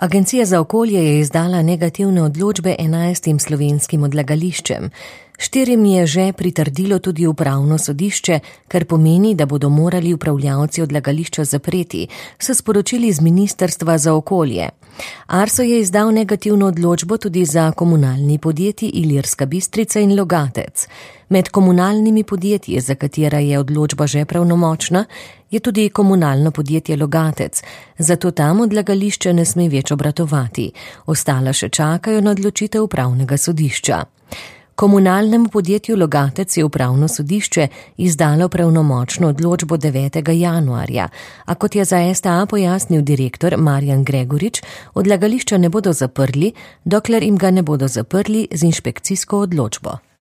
Agencija za okolje je izdala negativne odločbe 11 slovenskim odlagališčem. 4 je že pritrdilo tudi upravno sodišče, kar pomeni, da bodo morali upravljavci odlagališča zapreti, so sporočili z Ministrstva za okolje. Arso je izdal negativno odločbo tudi za komunalni podjetji Ilirska Bistrica in Logatec. Med komunalnimi podjetji, za katera je odločba že pravnomočna, je tudi komunalno podjetje Logatec, zato tam odlagališče ne sme več obratovati. Ostala še čakajo na odločitev upravnega sodišča. Komunalnemu podjetju Logatec je upravno sodišče izdalo pravnomočno odločbo 9. januarja, a kot je za STA pojasnil direktor Marjan Gregorič, odlagališča ne bodo zaprli, dokler jim ga ne bodo zaprli z inšpekcijsko odločbo.